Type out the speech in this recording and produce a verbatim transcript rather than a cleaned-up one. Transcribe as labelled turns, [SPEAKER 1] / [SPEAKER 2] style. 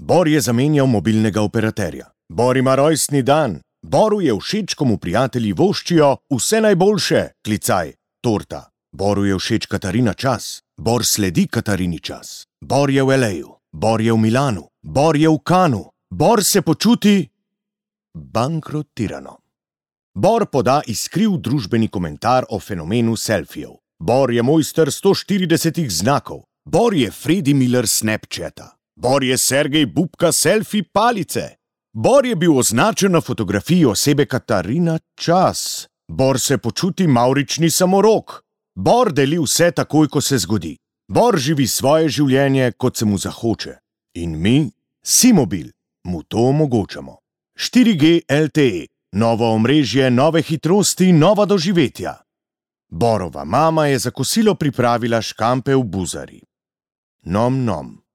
[SPEAKER 1] Bor je zamenjal mobilnega operaterja. Bor ima rojstni dan. Boru je všeč, ko mu prijatelji voščijo vse najboljše, klicaj, torta. Boru je všeč Katarina čas. Bor sledi Katarini čas. Bor je v el ej-u. Bor je v Milanu. Bor je v Kanu. Bor se počuti bankrotirano. Bor poda iskriv družbeni komentar o fenomenu selfijev. Bor je mojster sto štiridesetih znakov. Bor je Fredi Miller Snapchata. Bor je Sergej Bubka selfie palice. Bor je bil označen na fotografiji osebe Katarina čas. Bor se počuti mavrični samorok. Bor deli vse takoj, ko se zgodi. Bor živi svoje življenje, kot se mu zahoče. In mi, Simobil, mu to omogočamo. štiri G el te e, novo omrežje, nove hitrosti, nova doživetja. Borova mama je za kosilo pripravila škampe v buzari. Nom nom.